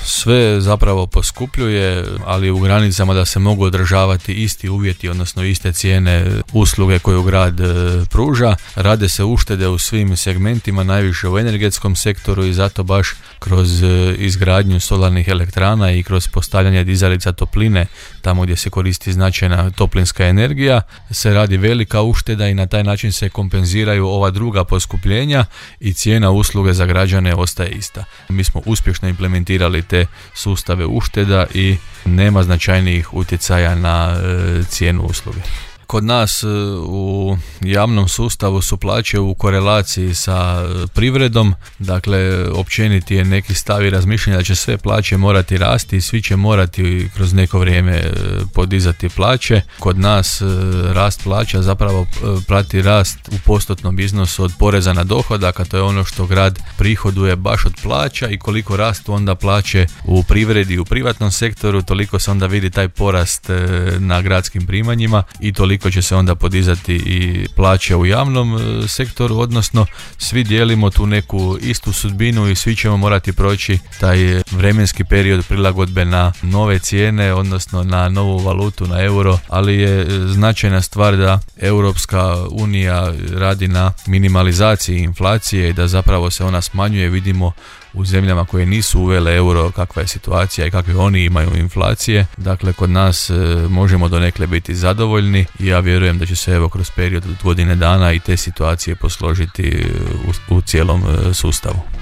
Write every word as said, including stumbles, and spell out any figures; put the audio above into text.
sve zapravo poskupljuje, ali u granicama da se mogu održavati isti uvjeti, odnosno iste cijene usluge koju grad pruža. Rade se uštede u svim segmentima, najviše u energetskom sektoru i zato baš kroz izgradnju solarnih elektrana i kroz postavljanje dizalica topline tamo gdje se koristi značajna toplinska energija se radi velika ušteda i na taj način se kompenziraju ova druga poskupljenja i cijena usluge za građane ostaje ista. Mi smo uspješno implementirali te sustave ušteda i nema značajnijih utjecaja na e, cijenu usluge. Kod nas u javnom sustavu su plaće u korelaciji sa privredom, dakle općeniti je neki stav i razmišljanje da će sve plaće morati rasti i svi će morati kroz neko vrijeme podizati plaće. Kod nas rast plaća zapravo prati rast u postotnom iznosu od poreza na dohodak, a to je ono što grad prihoduje baš od plaća i koliko rastu onda plaće u privredi i u privatnom sektoru, toliko se onda vidi taj porast na gradskim primanjima i toliko će se onda podizati i plaće u javnom sektoru, odnosno svi dijelimo tu neku istu sudbinu i svi ćemo morati proći taj vremenski period prilagodbe na nove cijene, odnosno na novu valutu, na euro, ali je značajna stvar da Europska unija radi na minimalizaciji inflacije i da zapravo se ona smanjuje. Vidimo u zemljama koje nisu uvele euro kakva je situacija i kakve oni imaju inflacije. Dakle, kod nas e, možemo donekle biti zadovoljni i ja vjerujem da će se evo kroz period od godine dana i te situacije posložiti u, u cijelom e, sustavu.